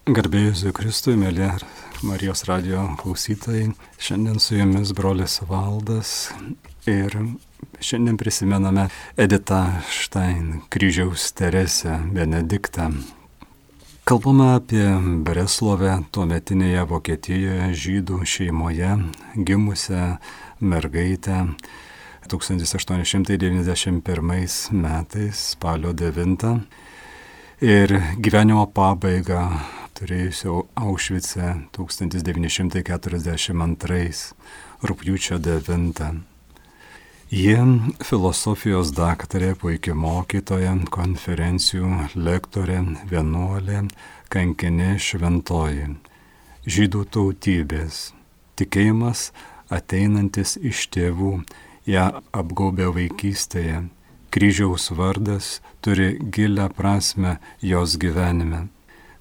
Garbė Jėzui Kristui, mėly Marijos radijo klausytojai. Šiandien su jumis brolis Valdas ir šiandien prisimename Editą Štain, Kryžiaus Teresę, Benediktą. Kalbama apie Breslovę, tuometinėje Vokietijoje žydų šeimoje gimusią mergaitę 1891 metais, spalio 9. Ir gyvenimo pabaigą turėjusio Aušvice 1942 rugpjūčio 9. Ji filosofijos daktarė, puikia mokytoja, konferencijų lektorė, vienuolė, kankinė šventoji. Žydų tautybės. Tikėjimas ateinantis iš tėvų, ją apgaubė vaikystėje. Kryžiaus vardas turi gilią prasme jos gyvenime.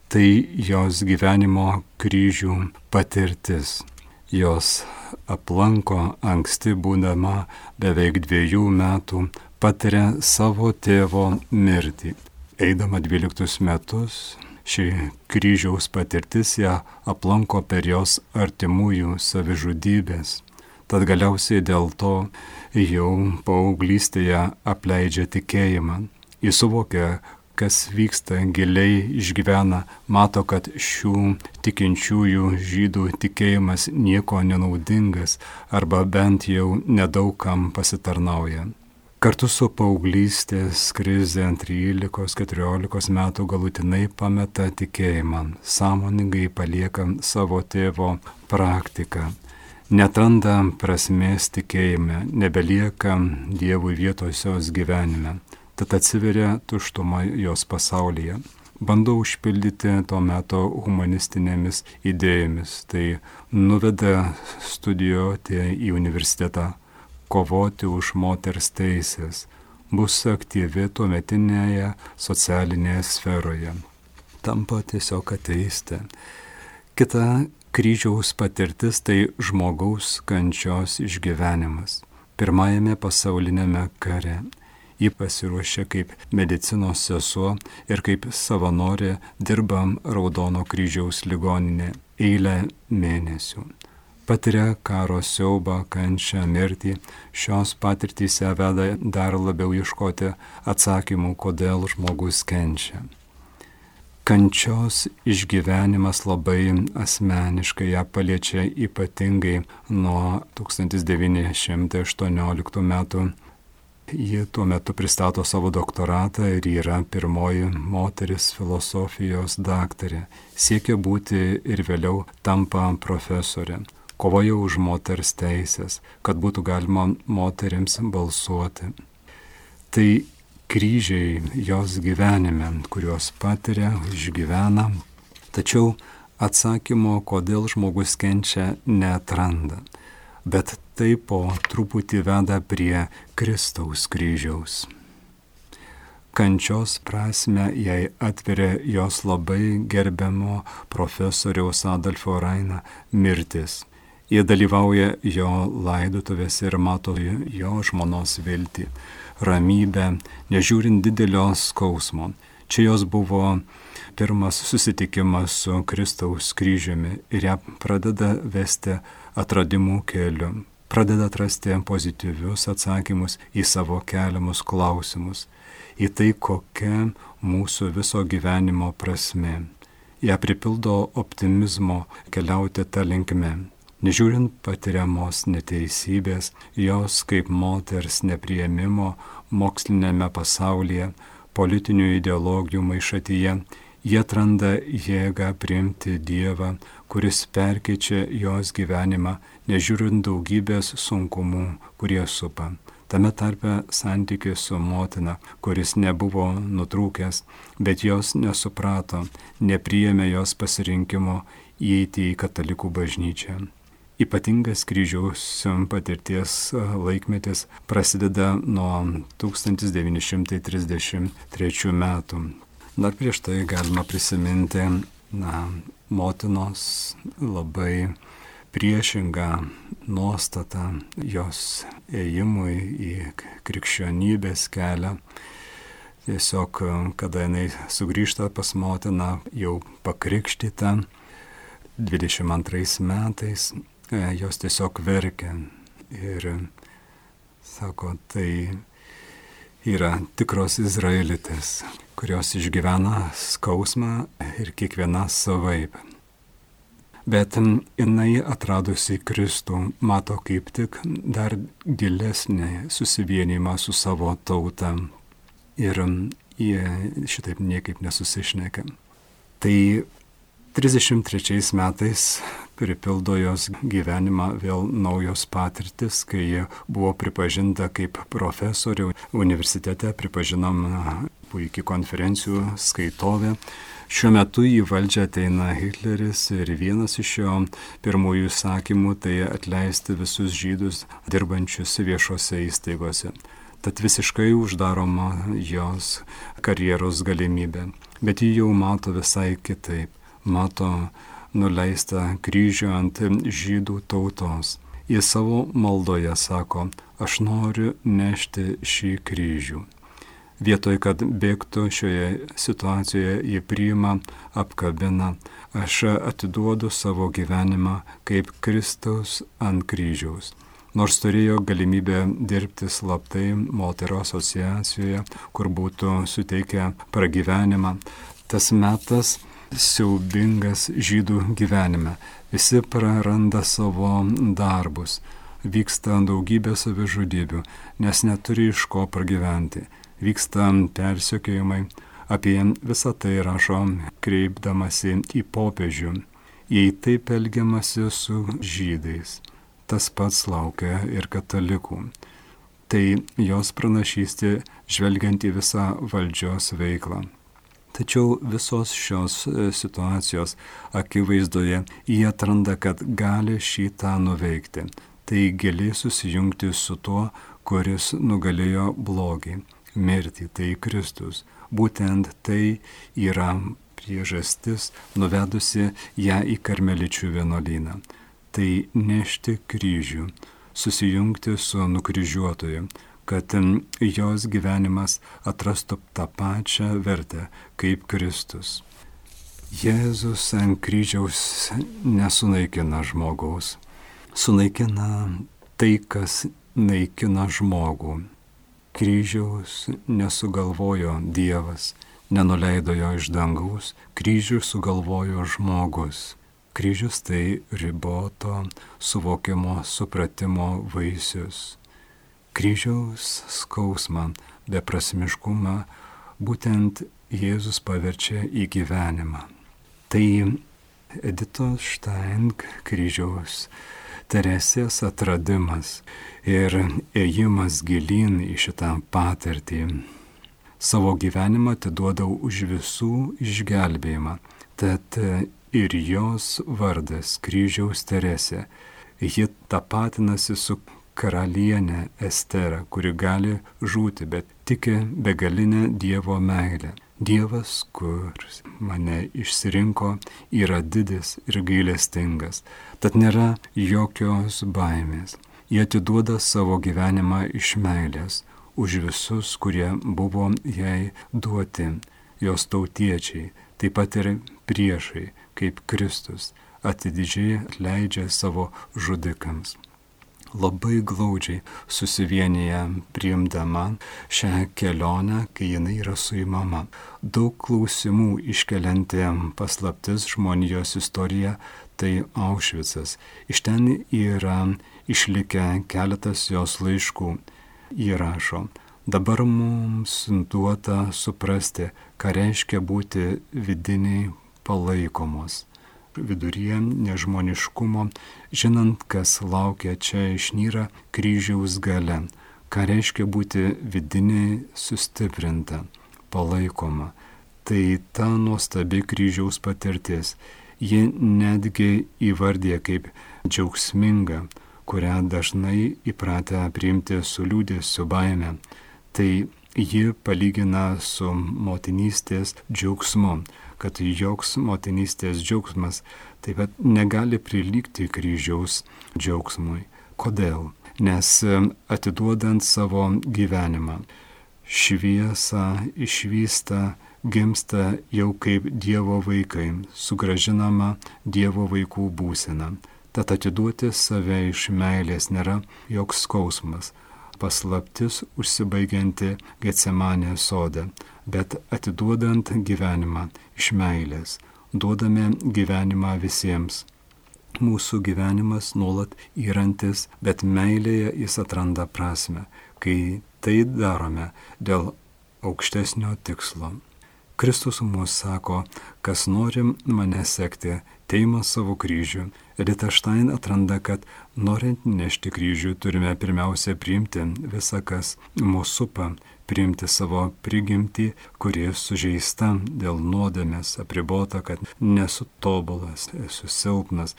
Tai jos gyvenimo kryžių patirtis. Jos aplanko anksti būdama beveik 2 metų, patiria savo tėvo mirtį. Eidama 12 metus, ši kryžiaus patirtis ją aplanko per jos artimųjų savižudybės. Tad galiausiai dėl to jau paauglystėje apleidžia tikėjimą. Jis suvokia, kas vyksta, giliai išgyvena, mato, kad šių tikinčiųjų žydų tikėjimas nieko nenaudingas arba bent jau nedaugam pasitarnauja. Kartu su paauglystės krize 13-14 metų galutinai pameta tikėjimą, sąmoningai palieka savo tėvo praktiką. Netranda prasmės tikėjime, nebelieka Dievui vietos jos gyvenime, tad atsiveria tuštuma jos pasaulyje. Bando užpildyti to meto humanistinėmis idėjomis, tai nuveda studijuoti į universitetą, kovoti už moters teisės, bus aktyvi tuometinėje socialinėje sferoje. Tampa tiesiog ateiste. Kita kryžiaus patirtis tai žmogaus kančios išgyvenimas. Pirmajame pasaulinėme kare ji pasiruošė kaip medicinos sesuo ir kaip savanorė dirba Raudono kryžiaus ligoninė eilę mėnesių. Patiria karo siaubą, kančią, mirtį. Šios patirtys ją veda dar labiau ieškoti atsakymų, kodėl žmogus kenčia. Kančios išgyvenimas labai asmeniškai ją paliečia ypatingai nuo 1918 metų. Ji tuo metu pristato savo doktoratą ir yra pirmoji moteris filosofijos daktarė. Siekia būti ir vėliau tampa profesorė. Kovoja už moters teisės, kad būtų galima moterims balsuoti. Tai kryžiai jos gyvenime, kuriuos patiria, išgyvena, tačiau atsakymo, kodėl žmogus kenčia, neatranda. Bet tai po truputį veda prie Kristaus kryžiaus. Kančios prasme jai atveria jos labai gerbiamo profesoriaus Adolfo Raina mirtis. Jie dalyvauja jo laidotuvėse ir mato jo žmonos viltį, ramybę, nežiūrint didelio skausmo. Čia jos buvo pirmas susitikimas su Kristaus kryžiumi ir ją pradeda vesti atradimų keliu. Pradeda atrasti pozityvius atsakymus į savo keliamus klausimus, į tai, kokia mūsų viso gyvenimo prasmė. Ją pripildo optimizmo keliauti tą linkme. Nežiūrint patiriamos neteisybės, jos kaip moters nepriėmimo mokslinėme pasaulyje, politinių ideologijų maišatyje, jie atranda jėgą priimti Dievą, kuris perkeičia jos gyvenimą, nežiūrint daugybės sunkumų, kurie supa. Tame tarpe santykis su motina, kuris nebuvo nutrūkęs, bet jos nesuprato, nepriėmė jos pasirinkimo įeiti į katalikų bažnyčią. Ypatingas kryžiaus patirties laikmetis prasideda nuo 1933 metų. Dar prieš tai galima prisiminti motinos labai priešingą nuostatą jos ėjimui į krikščionybės kelią. Tiesiog, kada jinai sugrįžta pas motiną, jau pakrikštyta, 22 metais, jos tiesiog verkia. Ir sako, tai yra tikros izraelitės, kurios išgyvena skausmą ir kiekviena savaip. Bet jinai atradusi Kristų mato kaip tik dar gilesnį susivienimą su savo tauta ir jie šitaip niekaip nesusišneka. Tai 33 metais pripildo jos gyvenimą vėl naujos patirtis, kai jie buvo pripažinta kaip profesorė universitete, pripažinoma puikiai konferencijų skaitovė. Šiuo metu į valdžią ateina Hitleris ir vienas iš jo pirmųjų įsakymų tai atleisti visus žydus dirbančius viešose įstaigose. Tad visiškai uždaroma jos karjeros galimybė. Bet ji jau mato visai kitaip. Mato nuleistą kryžių ant žydų tautos. Į savo maldoje sako, aš noriu nešti šį kryžių. Vietoj, kad bėgtų šioje situacijoje, jį priima, apkabina, aš atiduodu savo gyvenimą kaip Kristaus ant kryžiaus. Nors turėjo galimybę dirbti slaptai moterų asociacijoje, kur būtų suteikę pragyvenimą, tas metas siaubingas žydų gyvenime. Visi praranda savo darbus, vyksta daugybė savižudybių, nes neturi iš ko pragyventi. Vyksta persekiojimai, apie visą tai rašo kreipdamasi į popiežių. Jei taip elgiamasi su žydais, tas pats laukia ir katalikų. Tai jos pranašystė žvelgiant į visą valdžios veiklą. Tačiau visos šios situacijos akivaizdoje jie atranda, kad gali šitą nuveikti. Tai gali susijungti su tuo, kuris nugalėjo blogį. Mirtį, tai Kristus. Būtent tai yra priežastis nuvedusi ją į karmeličių vienuolyną. Tai nešti kryžių, susijungti su nukryžiuotoju, kad jos gyvenimas atrastų tą pačią vertę kaip Kristus. Jėzus ant kryžiaus nesunaikina žmogaus, sunaikina tai, kas naikina žmogų. Kryžiaus nesugalvojo Dievas, nenuleido jo iš dangaus, kryžių sugalvojo žmogus. Kryžius tai riboto suvokimo, supratimo vaisius. Kryžiaus skausmą, beprasmiškumą būtent Jėzus paverčia į gyvenimą. Tai Editos Štain kryžiaus Teresės atradimas ir ėjimas gilyn į šitą patirtį. Savo gyvenimą atiduodau už visų išgelbėjimą, tad ir jos vardas kryžiaus Teresė. Ji tapatinasi su karalienė Estera, kuri gali žūti, bet tiki begalinę Dievo meilę. Dievas, kuris mane išsirinko, yra didis ir gailestingas, tad nėra jokios baimės. Jie atiduoda savo gyvenimą iš meilės už visus, kurie buvo jai duoti, jos tautiečiai, taip pat ir priešai, kaip Kristus, atidžiai atleidžia savo žudikams. Labai glaudžiai susivienyje priimdama šią kelionę, kai jinai yra suimama. Daug klausimų iškelianti paslaptis žmonijos istorija, tai Aušvicas. Iš ten yra išlikę keletas jos laiškų. Ji rašo, dabar mums duota suprasti, ką reiškia būti vidiniai palaikomos. Viduryje nežmoniškumo, žinant, kas laukia čia išnyra kryžiaus gale, ką reiškia būti vidiniai sustiprinta, palaikoma. Tai ta nuostabi kryžiaus patirtis. Ji netgi įvardė kaip džiaugsminga, kurią dažnai įpratę priimti su liūdesiu, baime. Tai ji palygina su motinystės džiaugsmu, kad joks motinystės džiaugsmas taip pat negali prilygti kryžiaus džiaugsmui. Kodėl? Nes atiduodant savo gyvenimą, šviesą išvysta, gimsta jau kaip Dievo vaikai, sugrąžinama Dievo vaikų būsena. Tad atiduoti save iš meilės nėra joks skausmas, paslaptis užsibaigianti Getsemanės sode, bet atiduodant gyvenimą iš meilės, duodame gyvenimą visiems. Mūsų gyvenimas nuolat yrantis, bet meilėje jis atranda prasme, kai tai darome dėl aukštesnio tikslo. Kristus mums sako, kas nori mane sekti, teima savo kryžių. Edita Štain atranda, kad norint nešti kryžių, turime pirmiausia priimti visą, kas mūsų supa, priimti savo prigimtį, kuri sužeista dėl nuodėmės, apribota, kad nesu tobulas, esu silpnas,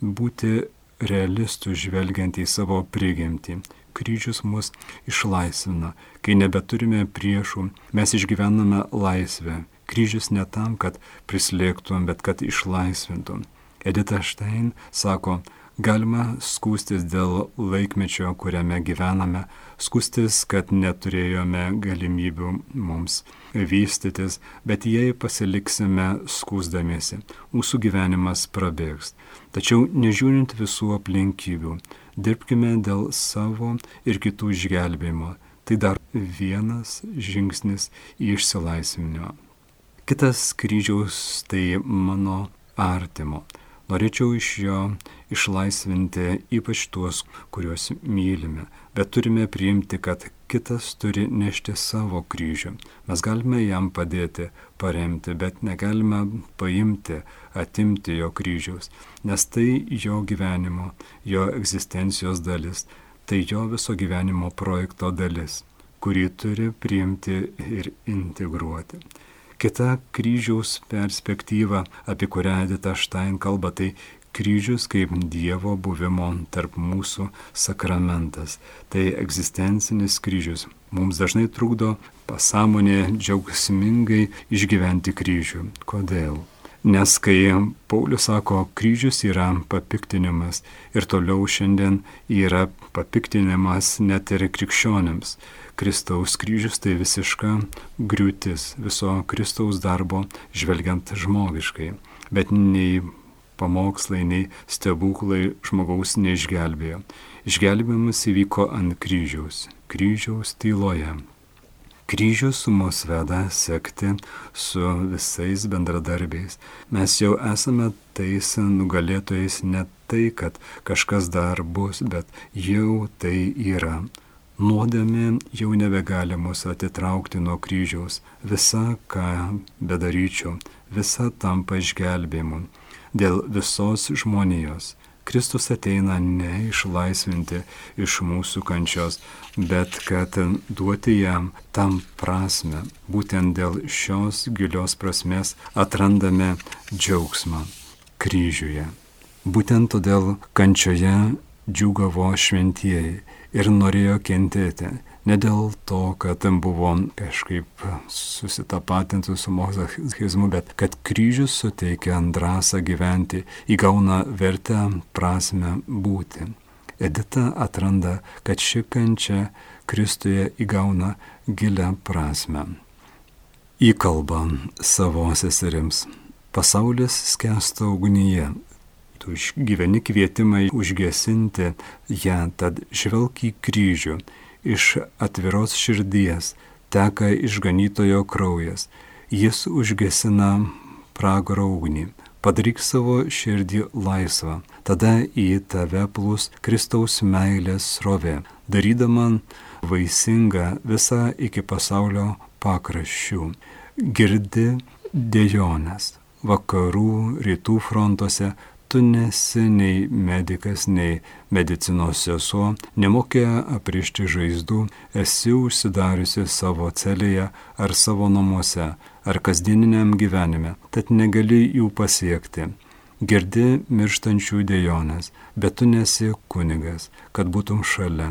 būti realistų žvelgiant į savo prigimtį. Kryžius mus išlaisvina, kai nebeturime priešų, mes išgyvename laisvę. Kryžius ne tam, kad prislėgtum, bet kad išlaisvintum. Edita Štain sako, galima skųstis dėl laikmečio, kuriame gyvename, skųstis, kad neturėjome galimybių mums vystytis, bet jei pasiliksime skųsdamiesi, mūsų gyvenimas prabėgs. Tačiau nežiūrint visų aplinkybių, dirbkime dėl savo ir kitų išgelbėjimo. Tai dar vienas žingsnis į išsilaisvinimą. Kitas kryžiaus tai mano artimo. Norėčiau iš jo išlaisvinti ypač tuos, kuriuos mylime, bet turime priimti, kad kitas turi nešti savo kryžių. Mes galime jam padėti, paremti, bet negalime paimti, atimti jo kryžiaus, nes tai jo gyvenimo, jo egzistencijos dalis, tai jo viso gyvenimo projekto dalis, kurį turi priimti ir integruoti. Kita kryžiaus perspektyva, apie kurią Edita Štain kalba, tai kryžius kaip Dievo buvimo tarp mūsų sakramentas. Tai egzistencinis kryžius. Mums dažnai trukdo pasąmonė džiaugsmingai išgyventi kryžių. Kodėl? Nes kai Paulius sako, kryžius yra papiktinimas ir toliau šiandien yra papiktinimas net ir krikščionėms. Kristaus kryžius tai visiška griūtis viso Kristaus darbo žvelgiant žmogiškai, bet nei pamokslai, nei stebuklai žmogaus neišgelbėjo. Išgelbėjimas įvyko ant kryžiaus tyloje. Kryžius mus veda sekti su visais bendradarbiais. Mes jau esame tais nugalėtojais, ne tai, kad kažkas dar bus, bet jau tai yra. Nuodėmė jau nebegali mus atitraukti nuo kryžiaus. Visa, ką bedaryčiau, visa tampa išgelbėjimu. Dėl visos žmonijos. Kristus ateina ne išlaisvinti iš mūsų kančios, bet kad duoti jam tam prasme. Būtent dėl šios gilios prasmės atrandame džiaugsmą kryžiuje. Būtent todėl kančioje džiūgavo šventieji ir norėjo kentėti. Ne dėl to, kad buvo kažkaip susitapatinti su mozachizmu, bet kad kryžius suteikia drąsą gyventi, įgauna vertę, prasme būti. Edita atranda, kad ši kančia Kristuje įgauna gilią prasme. Įkalba savo seserims. Pasaulis skęsta ugnyje. Tu išgyveni kvietimą užgesinti ją, tad žvelk į kryžių. Iš atviros širdies teka išganytojo kraujas. Jis užgesina pragaro ugnį. Padaryk savo širdį laisvą. Tada į tave plūs Kristaus meilės srovė, darydama vaisingą visą iki pasaulio pakraščių. Girdi dejonės. Vakarų, rytų frontuose tu nesi nei medikas, nei medicinos sesuo, nemokė aprišti žaizdų, esi užsidariusi savo celėje ar savo namuose, ar kasdieniniam gyvenime, tad negali jų pasiekti. Girdi mirštančių dejonės, bet tu nesi kunigas, kad būtum šalia,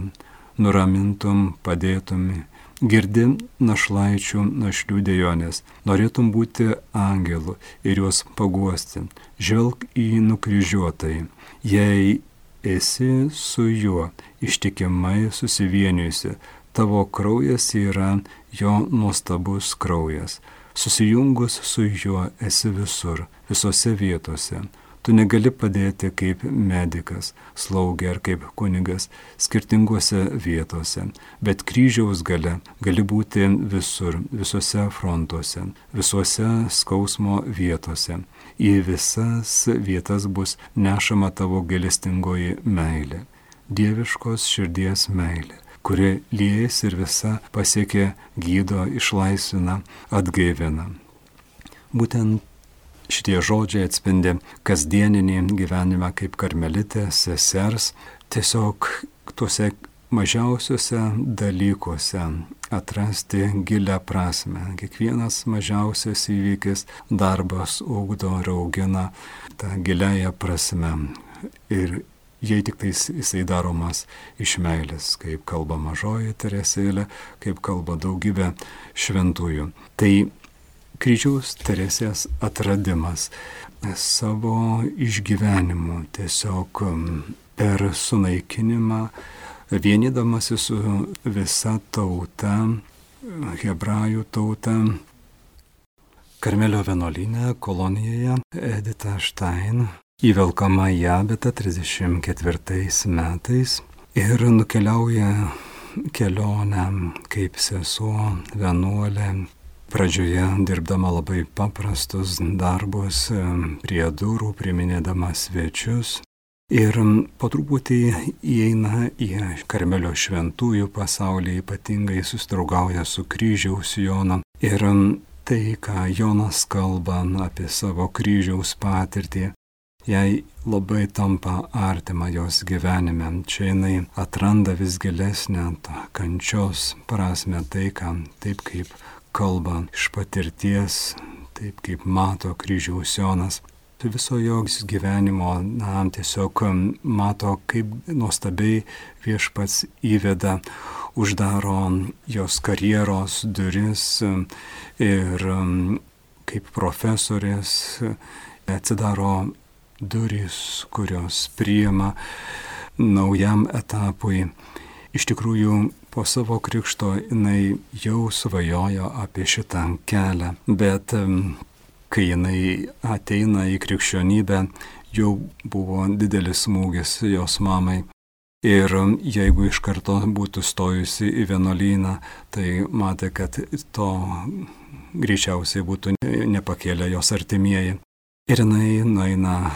nuramintum, padėtum. Girdi našlaičių, našlių dejonės, norėtum būti angelu ir juos paguosti. Žvelk į nukryžiuotai. Jei esi su juo ištikimai susivienijusi, tavo kraujas yra jo nuostabus kraujas. Susijungus su juo esi visur, visose vietose. Tu negali padėti kaip medikas, slaugė ar kaip kunigas skirtingose vietose, bet kryžiaus gale gali būti visur, visose frontuose, visuose skausmo vietose. Į visas vietas bus nešama tavo gailestingoji meilė, dieviškos širdies meilė, kuri liejasi ir visa pasiekia, gydo, išlaisvina, atgaivina. Būtent šitie žodžiai atspindi kasdieninį gyvenimą kaip karmelitės sesers, tiesiog tuose mažiausiuose dalykuose atrasti gilią prasme. Kiekvienas mažiausias įvykis, darbas ugdo ir augina tą giliąją prasme. Ir jei tik tais jisai daromas iš meilės, kaip kalba mažoji Teresėlė, kaip kalba daugybė šventųjų. Tai kryžiaus Teresės atradimas savo išgyvenimu, tiesiog per sunaikinimą, vienydamasi su visa tauta, hebrajų tauta. Karmelio vienuolyne kolonijoje Edita Štain įvelkama į Abetą 34 metais ir nukeliauja kelionę kaip sesuo, vienuolė, pradžioje dirbdama labai paprastus darbus prie durų, priminėdama svečius. Ir po truputį įeina į Karmelio šventųjų pasaulį, ypatingai susidraugauja su kryžiaus Jonu. Ir tai, ką Jonas kalba apie savo kryžiaus patirtį, jai labai tampa artima jos gyvenime. Čia jinai atranda vis gilesnę tą kančios prasme, tai, ką taip kaip kalba iš patirties, taip kaip mato kryžiaus Jonas. Viso jos gyvenimo, tiesiog mato, kaip nuostabiai viešpats įveda, uždaro jos karjeros duris ir kaip profesorės atsidaro durys, kurios priima naujam etapui. Iš tikrųjų, po savo krikšto jinai jau svajojo apie šitą kelią, bet kai jinai ateina į krikščionybę, jau buvo didelis smūgis jos mamai. Ir jeigu iš karto būtų stojusi į vienuolyną, tai matė, kad to greičiausiai būtų nepakėlę jos artimieji. Ir jinai nueina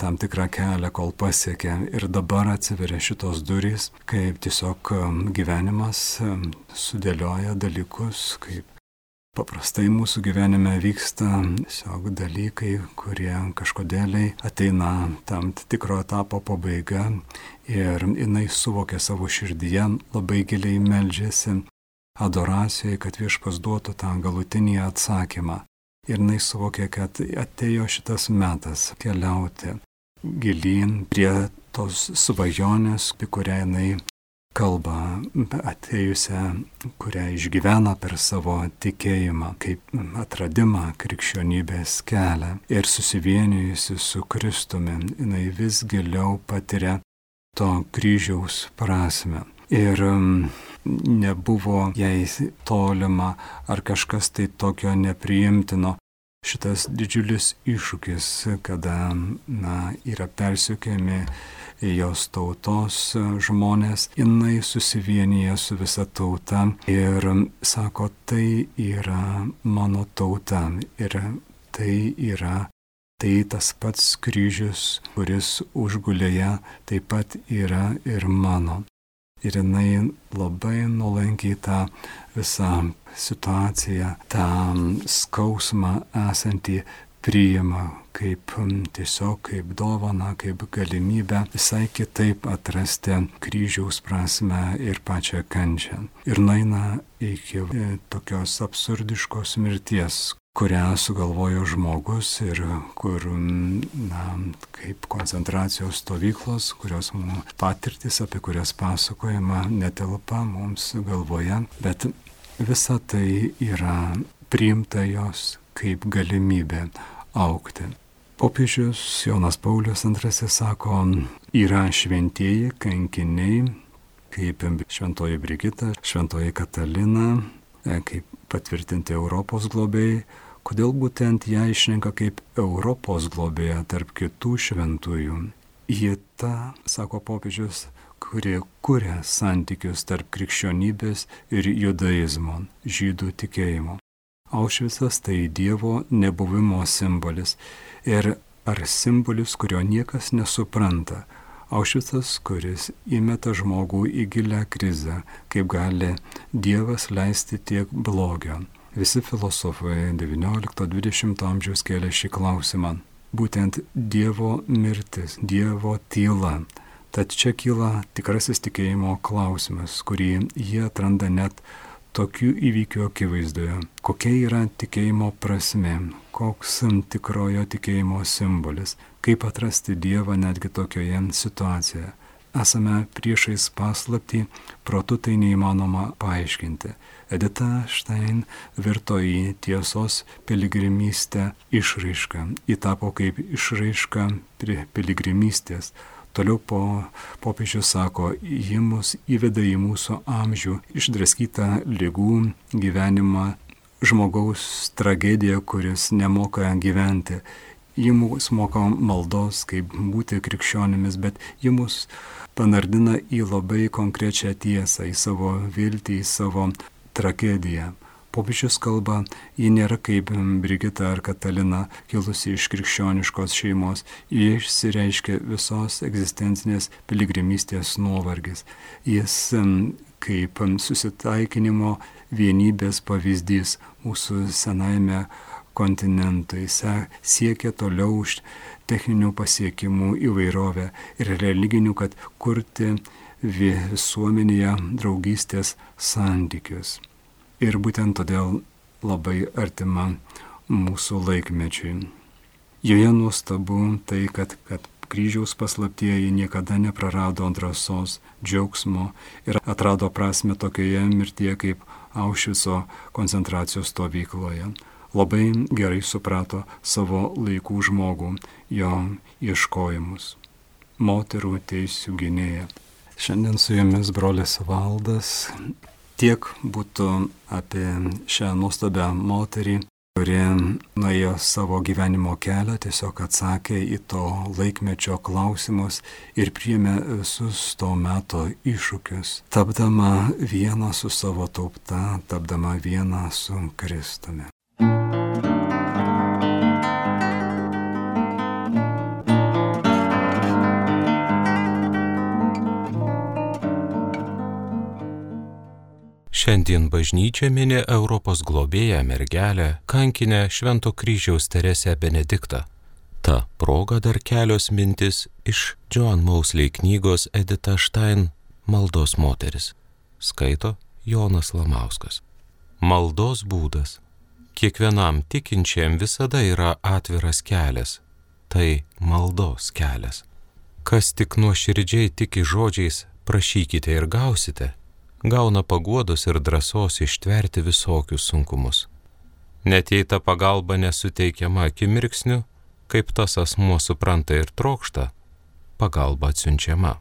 tam tikrą kelią, kol pasiekia. Ir dabar atsiveria šitos durys, kaip tiesiog gyvenimas sudėlioja dalykus, kaip paprastai mūsų gyvenime vyksta tiesiog dalykai, kurie kažkodėliai ateina tam tikro etapo pabaiga. Ir jinai suvokia savo širdyje, labai giliai meldžiasi adoracijai, kad viešpats duotų tą galutinį atsakymą. Ir jinai suvokė, kad atėjo šitas metas keliauti gilyn prie tos svajonės, apie kurią jinai kalba, atėjusią, kurią išgyvena per savo tikėjimą, kaip atradimą krikščionybės kelią. Ir susivienijusi su Kristumi, jinai vis giliau patiria to kryžiaus prasme. Ir nebuvo jai tolima ar kažkas tai tokio nepriimtino. Šitas didžiulis iššūkis, kada yra persekiojami jos tautos žmonės, jinai susivienyje su visa tauta ir sako, tai yra mano tauta ir tai tas pats kryžius, kuris užgulė ją, taip pat yra ir mano. Ir jinai labai nuolankiai tą visą situaciją, tą skausmą esantį priima kaip tiesiog kaip dovaną, kaip galimybę visai kitaip atrasti kryžiaus prasme ir pačią kančią. Ir nueina iki tokios absurdiškos mirties, kurią sugalvojo žmogus ir kur, kaip koncentracijos stovyklos, kurios patirtis, apie kurias pasakojama, netelpa mums galvoje, bet visa tai yra priimta jos kaip galimybė augti. Popiežius Jonas Paulius II sako, yra šventieji kankiniai, kaip šventoji Brigita, šventoji Katalina, kaip patvirtinti Europos globėjai, kodėl būtent ją išrenka kaip Europos globėją tarp kitų šventųjų. Ji ta, sako popiežius, kurie kuria santykius tarp krikščionybės ir judaizmo, žydų tikėjimo. Aušvicas tai Dievo nebuvimo simbolis ir ar simbolis, kurio niekas nesupranta. Aušvicas, kuris įmeta žmogų į gilią krizę, kaip gali Dievas leisti tiek blogio. Visi filosofai XIX-XX amžiaus kėlė šį klausimą. Būtent Dievo mirtis, Dievo tyla. Tad čia kyla tikrasis tikėjimo klausimas, kurį jie atranda net tokių įvykių akivaizdoje. Kokia yra tikėjimo prasmė, koks tikrojo tikėjimo simbolis, kaip atrasti Dievą netgi tokioje situacijoje. Esame priešais paslaptį, protu tai neįmanoma paaiškinti. Edita Stein virto į tiesos piligrimystę išraišką. Ji tapo kaip išraiška piligrimystės. Toliau popiežius sako, ji mus įveda į mūsų amžių, išdraskytą ligų gyvenimą, žmogaus tragediją, kuris nemoka gyventi. Ji mus moko maldos, kaip būti krikščionimis, bet ji mus panardina į labai konkrečią tiesą, į savo viltį, į savo tragediją. Popiežius kalba, ji nėra kaip Brigita ar Katalina, kilusi iš krikščioniškos šeimos, ji išsireiškia visos egzistencinės piligrimystės nuovargis. Jis kaip susitaikinimo vienybės pavyzdys mūsų senajame kontinentui siekia toliau už techninių pasiekimų įvairovę ir religinių, kad kurti visuomenėje draugystės santykius. Ir būtent todėl labai artima mūsų laikmečiui. Joje nuostabu tai, kad kryžiaus paslaptieji niekada neprarado drąsos, džiaugsmo ir atrado prasme tokioje mirtyje kaip Aušvico koncentracijos stovykloje. Labai gerai suprato savo laikų žmogų, jo ieškojimus. Moterų teisių gynėja. Šiandien su jumis brolis Valdas. Tiek būtų apie šią nuostabią moterį, kuri nuėjo savo gyvenimo kelią, tiesiog atsakė į to laikmečio klausimus ir priėmė visus to meto iššūkius, tapdama viena su savo tauta, tapdama viena su Kristumi. Šiandien bažnyčia mini Europos globėją mergelę, kankinę Švento kryžiaus Teresę Benediktą. Ta proga dar kelios mintis iš Joan Mosley knygos Edita Stein Maldos moteris. Skaito Jonas Lamauskas. Maldos būdas. Kiekvienam tikinčiam visada yra atviras kelias. Tai maldos kelias. Kas tik nuoširdžiai tiki žodžiais prašykite ir gausite, gauna paguodos ir drąsos ištverti visokius sunkumus. Net jei ta pagalba nesuteikiama akimirksniu, kaip tas asmuo supranta ir trokšta, pagalba atsiunčiama.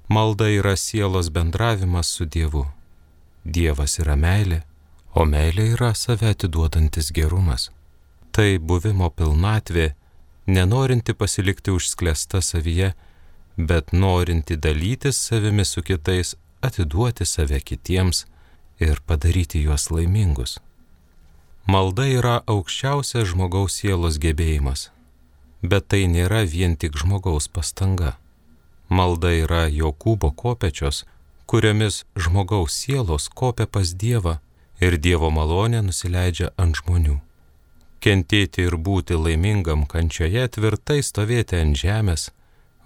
Malda yra sielos bendravimas su Dievu. Dievas yra meilė, o meilė yra save atiduodantis gerumas. Tai buvimo pilnatvė, nenorinti pasilikti užsklęsta savyje, bet norinti dalytis savimi su kitais, atiduoti save kitiems ir padaryti juos laimingus. Malda yra aukščiausias žmogaus sielos gebėjimas, bet tai nėra vien tik žmogaus pastanga. Malda yra Jokūbo kopečios, kuriomis žmogaus sielos kopia pas Dievą ir Dievo malonė nusileidžia ant žmonių. Kentėti ir būti laimingam kančioje, tvirtai stovėti ant žemės,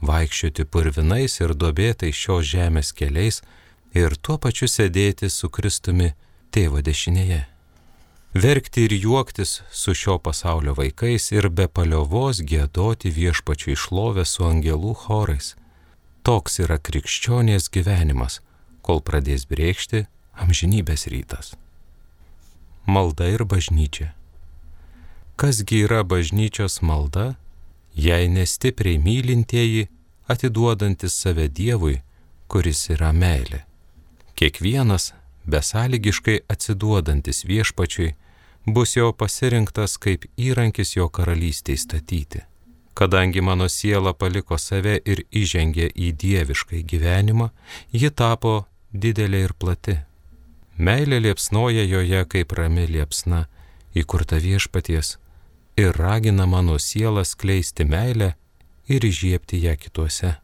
vaikščioti purvinais ir duobėtais šios žemės keliais ir tuo pačiu sėdėti su Kristumi Tėvo dešinėje. Verkti ir juoktis su šio pasaulio vaikais ir be paliovos giedoti Viešpačiui šlovę su angelų chorais. Toks yra krikščionės gyvenimas, kol pradės brėkšti amžinybės rytas. Malda ir bažnyčia. Kasgi yra bažnyčios malda, jei nestipriai mylintieji, atiduodantis save Dievui, kuris yra meilė. Kiekvienas, besąlygiškai atsiduodantis viešpačiui, bus jo pasirinktas kaip įrankis jo karalystei statyti. Kadangi mano siela paliko save ir įžengė į dieviškai gyvenimą, ji tapo didelė ir plati. Meilė liepsnoja joje kaip rami liepsna, įkurta viešpaties, ir ragina mano sielą skleisti meilę ir įžiebti ją kituose.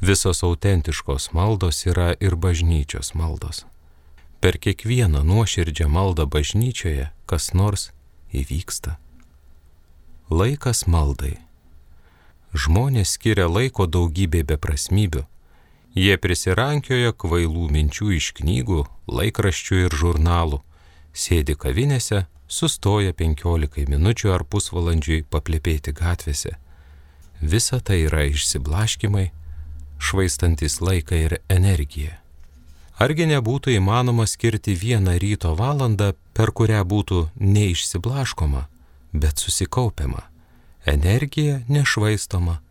Visos autentiškos maldos yra ir bažnyčios maldos. Per kiekvieną nuoširdžią maldą bažnyčioje kas nors įvyksta. Laikas maldai. Žmonės skiria laiko daugybė beprasmybių. Jie prisirankioja kvailų minčių iš knygų, laikraščių ir žurnalų, sėdi kavinėse, sustoja 15 minučių ar pusvalandžiui paplepėti gatvėse. Visa tai yra išsiblaškimai, švaistantis laiką ir energiją. Argi nebūtų įmanoma skirti vieną ryto valandą, per kurią būtų neišsiblaškoma, bet susikaupiama, energija nešvaistoma,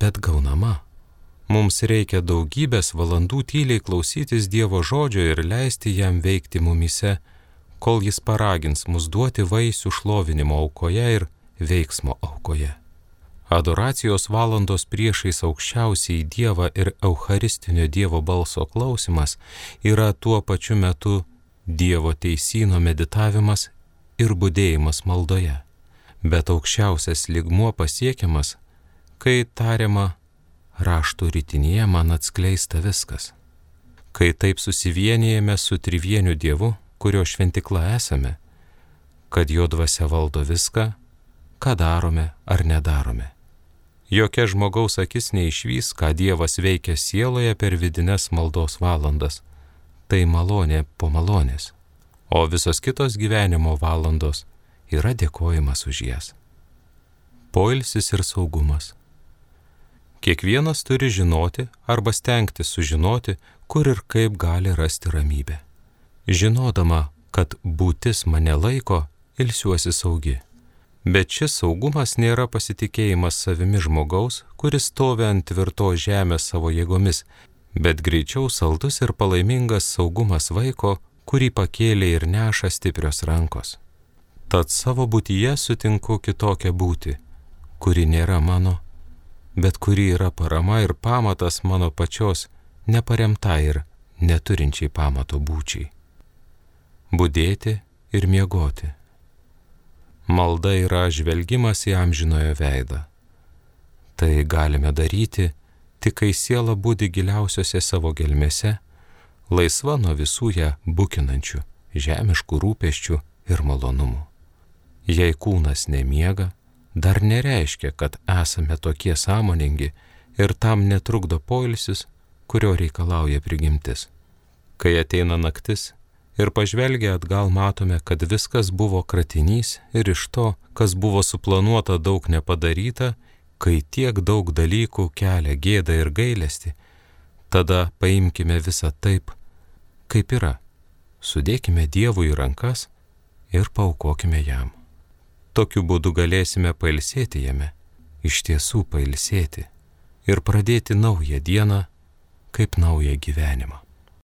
bet gaunama. Mums reikia daugybės valandų tyliai klausytis Dievo žodžio ir leisti jam veikti mumyse, kol jis paragins mus duoti vaisių šlovinimo aukoje ir veiksmo aukoje. Adoracijos valandos priešais aukščiausiai Dievą ir eucharistinio Dievo balso klausimas yra tuo pačiu metu Dievo teisyno meditavimas ir budėjimas maldoje. Bet aukščiausias lygmuo pasiekiamas, kai tariama, raštų ritinėje man atskleista viskas. Kai taip susivienijame su trivieniu Dievu, kurio šventikla esame, kad jo dvasia valdo viską, ką darome ar nedarome. Jokia žmogaus akis neišvys, ką Dievas veikia sieloje per vidines maldos valandas. Tai malonė po malonės. O visos kitos gyvenimo valandos yra dėkojimas už jas. Poilsis ir saugumas. Kiekvienas turi žinoti arba stengtis sužinoti, kur ir kaip gali rasti ramybę. Žinodama, kad būtis mane laiko, ilsiuosi saugi. Bet šis saugumas nėra pasitikėjimas savimi žmogaus, kuris stovi ant tvirtos žemės savo jėgomis, bet greičiau saldus ir palaimingas saugumas vaiko, kurį pakėlė ir neša stiprios rankos. Tad savo būtyje sutinku kitokią būtį, kuri nėra mano, bet kuri yra parama ir pamatas mano pačios neparemta ir neturinčiai pamato būčiai. Budėti ir miegoti. Malda yra žvelgimas į amžinojo veidą. Tai galime daryti, tik kai siela budi giliausiose savo gelmėse, laisva nuo visų ją bukinančių, žemiškų rūpesčių ir malonumų. Jei kūnas nemiega, dar nereiškia, kad esame tokie sąmoningi ir tam netrukdo poilsis, kurio reikalauja prigimtis. Kai ateina naktis, ir pažvelgę atgal matome, kad viskas buvo kratinys ir iš to, kas buvo suplanuota daug nepadaryta, kai tiek daug dalykų kelia gėdą ir gailestį, tada paimkime visą taip, kaip yra, sudėkime Dievui į rankas ir paaukokime jam. Tokiu būdu galėsime pailsėti jame, iš tiesų pailsėti ir pradėti naują dieną kaip naują gyvenimą.